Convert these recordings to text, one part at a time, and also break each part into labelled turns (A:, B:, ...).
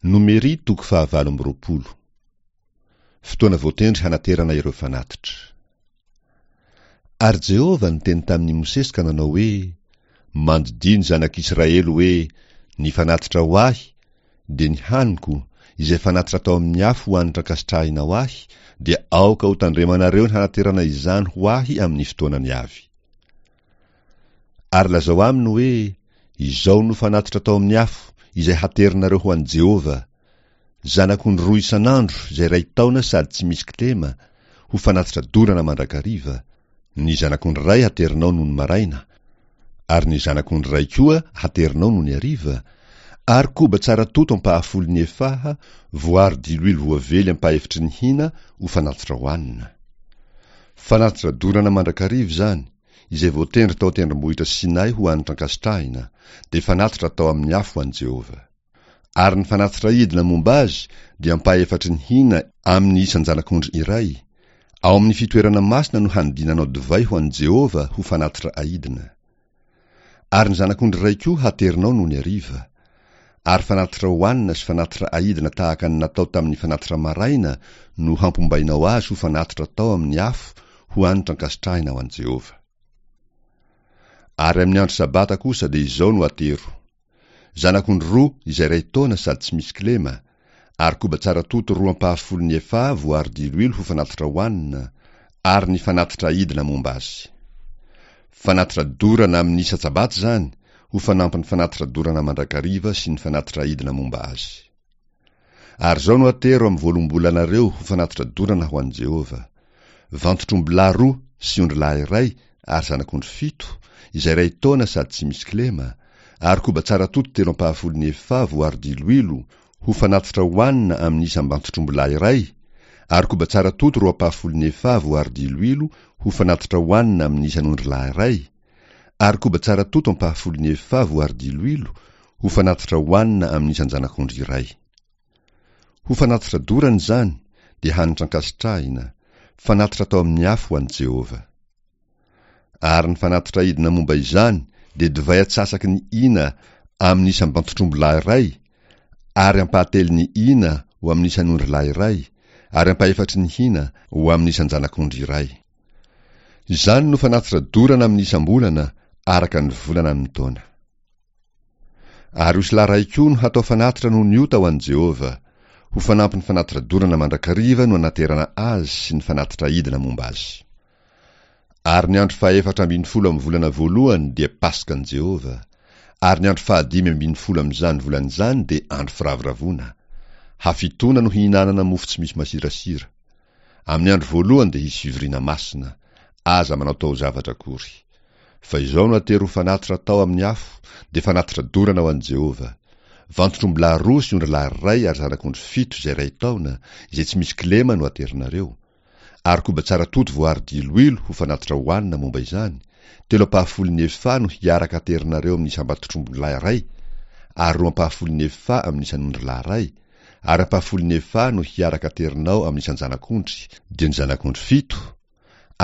A: Nomery toko fahavalo amby 20. Fotoana voatendry hanaterana ireo fanatitra. Ary Jehovah niteny tamin'i Mosesy ka nanao hoe, Mandidia ny zanak'Israely hoe, Ny fanatitra ho ahy, dia ny haniko, izay fanatitra atao amin'ny afo ho hanitra ankasitrahina ho ahy, dia aoka hotandremanareo ny hanaterana izany ho ahy amin'ny fotoanany avy. Ary lazao aminy hoe, Izao no fanatitra atao amin'ny afo, izay haterinareo ho an'i Jehovah, Zanak'ondry roa isan'andro izay iray taona sady tsy misy kilema, ho fanatitra dorana mandrakariva, ny zanak'ondry iray haterinao nony maraina, ary ny zanak'ondry iray koa haterinao nony hariva, ary koba tsara toto ampahafolon'ny efaha, voaro diloilo voavely ampahefitry ny hina ho fanatitra hohanina. Fanatitra dorana mandrakariva izany, izay voatendry tao an-tendrombohitra Sinay ho hanitra ankasitrahina, dia fanatitra atao amin'ny afo ho an'i Jehovah. Ary ny fanatitra hidina momba azy dia ampahefatry ny hina amin'ny isan-janak'ondry iray, ao amin'ny fitoerana masina no hanodinanao divay ho an'i Jehovah ho fanatitra ahidina. Ary ny zanak'ondry iray koa haterinao nony hariva. Ary fanatitra hohanina sy fanatitra ahidina tahaka ny natao tamin'ny fanatitra maraina no hampombainao azy ho fanatitra atao amin'ny afo ho hanitra ankasitrahina ho an'i Jehovah. Ary amin'ny andro Sabata kosa dia izao no atero, Zanak'ondry roa izay iray taona sady tsy misy kilema, ary koba tsara toto roa ampahafolon'ny efaha voaro diloilo ho fanatitra hohanina, ary ny fanatitra aidina momba azy. Fanatitra dorana amin'ny isa-tsabata izany, ho fanampin'ny fanatitra dorana mandrakariva sy ny fanatitra aidina momba azy. Ary izao no atero amin'ny voaloham-bolanareo ho fanatitra dorana ho an'i Jehovah, Vantotr'ombilahy roa sy ondrilahy iray ary zanak'ondry fito, izay iray taona sady tsy misy kilema, ary koba tsara toto telo ampahafolon'ny efaha voaro diloilo ho fanatitra hohanina amin'ny isam-bantotr'ombilahy iray, ary koba tsara toto roa ampahafolon'ny efaha voaro diloilo ho fanatitra hohanina amin'ny isan'ondrilahy iray, ary koba tsara toto ampahafolon'ny efaha voaro diloilo ho fanatitra hohanina amin'ny isan-janak'ondry iray. Ho fanatitra dorana izany, dia hanitra ankasitrahina, fanatitra atao amin'ny afo ho an'i Jehovah. Ary ny fanatitra aidina momba izany dia divay atsasaky ny hina amin'ny isam-bantotr'ombilahy iray, ary ampahatelon'ny hina ho amin'ny isan'ondrilahy iray, ary ampahefatry ny hina ho amin'ny isan-janak'ondry iray. Izany no fanatitra dorana amin'ny isam-bolana araka ny volana amin'ny taona. Ary osilahy iray koa no hatao fanatitra noho ny ota ho an'i Jehovah. Ho fanampin'ny fanatitra dorana mandrakariva no anaterana azy sy ny fanatitra aidina momba azy. Ary ny andro fahefatra ambin'ny folo amin'ny volana voalohany dia Paskan'i Jehovah, ary ny andro fahadimy ambin'ny folo amin'izany volana izany dia andro firavoravoana. Hafitoana no hihinanana mofo tsy misy masirasira. Amin'ny andro voalohany dia hisy fivoriana masina, aza manao taozavatra akory. Fa izao no atero ho fanatitra atao amin'ny afo, dia fanatitra dorana ho an'i Jehovah, Vantotr'ombilahy roa sy ondrilahy iray ary zanak'ondry fito izay iray taona, izay tsy misy kilema no aterinareo. Ary koba tsara toto voaaro diloilo ho fanatitra hohanina momba izany, telo ampahafolon'ny efaha no hiaraka aterinareo amin'ny isam-batotr'ombilahy iray, ary roa ampahafolon'ny efaha amin'ny isan'ondrilahy iray, ary ampahafolon'ny efaha no hiaraka aterinao amin'ny isan-janak'ondry, dia ny zanak'ondry fito,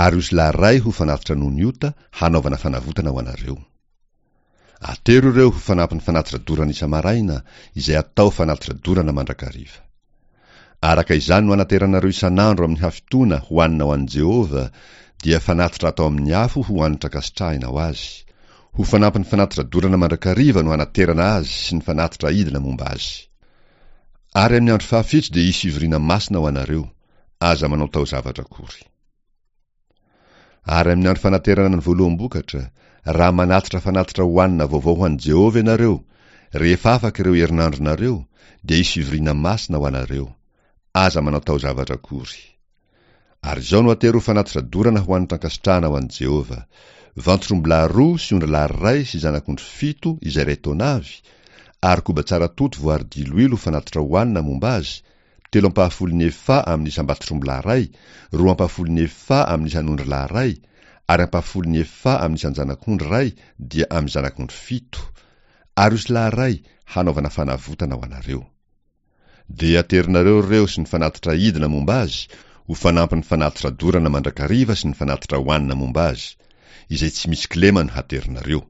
A: ary osilahy iray ho fanatitra noho ny ota hanaovana fanavotana ho anareo. Atero ireo ho fanampin'ny fanatitra dorana isa-maraina, izay atao fanatitra dorana mandrakariva. Araka izany no anateranareo isan'andro amin'ny hafitoana hohanina ho an'i Jehovah, dia fanatitra atao amin'ny afo ho hanitra ankasitrahina ho azy. Ho fanampin'ny fanatitra dorana mandrakariva no hanaterana azy sy ny fanatitra aidina momba azy. Ary amin'ny andro fahafito dia hisy fivoriana masina ho anareo, aza manao taozavatra akory. Ary amin'ny andro fanaterana ny voaloham-bokatra, raha manatitra fanatitra hohanina vaovao ho an'i Jehovah ianareo, rehefa afaka ireo herinandronareo, dia hisy fivoriana masina ho anareo, aza manao taozavatra akory. Ary izao no atero ho fanatitra dorana ho hanitra ankasitrahana ho an'i Jehovah, Vantotr'ombilahy roa sy ondrilahy iray sy zanak'ondry fito izay iray taona avy, ary koba tsara toto voary diloilo ho fanatitra hohanina momba azy, telo ampahafolon'ny efaha amin'ny isam-batotr'ombilahy iray, roa ampahafolon'ny efaha amin'ny isan'ondrilahy iray, ary ampahafolon'ny efaha amin'ny isan-janak'ondry iray dia amin'ny zanak'ondry fito, ary osilahy iray hanaovana fanavotana ho anareo. Dia aterinareo ireo sy ny fanatitra aidina momba azy ho fanampin'ny fanatitra dorana mandrakariva sy ny fanatitra hohanina momba azy, izay tsy misy kilema no haterinareo.